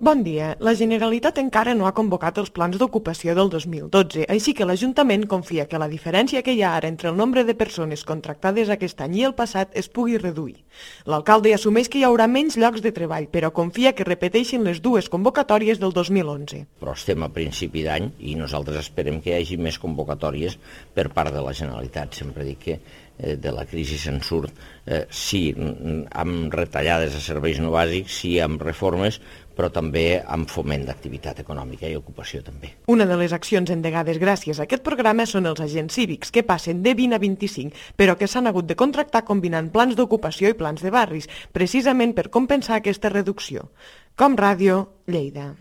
Bon dia. La Generalitat encara no ha convocat els plans d'ocupació del 2012, així que l'Ajuntament confia que la diferència que hi ha ara entre el nombre de persones contractades aquest any i el passat es pugui reduir. L'alcalde assumeix que hi haurà menys llocs de treball, però confia que repeteixin les dues convocatòries del 2011. Però estem a principi d'any i nosaltres esperem que hi hagi més convocatòries per part de la Generalitat. Sempre dic que de la crisi se'n surt, sí amb retallades a serveis no bàsics, sí amb reformes, però també amb foment d'activitat econòmica i ocupació també. Una de les accions endegades gràcies a aquest programa són els agents cívics, que passen de 20 a 25, però que s'han hagut de contractar combinant plans d'ocupació i plans de barris, precisament per compensar aquesta reducció. Com Ràdio, Lleida.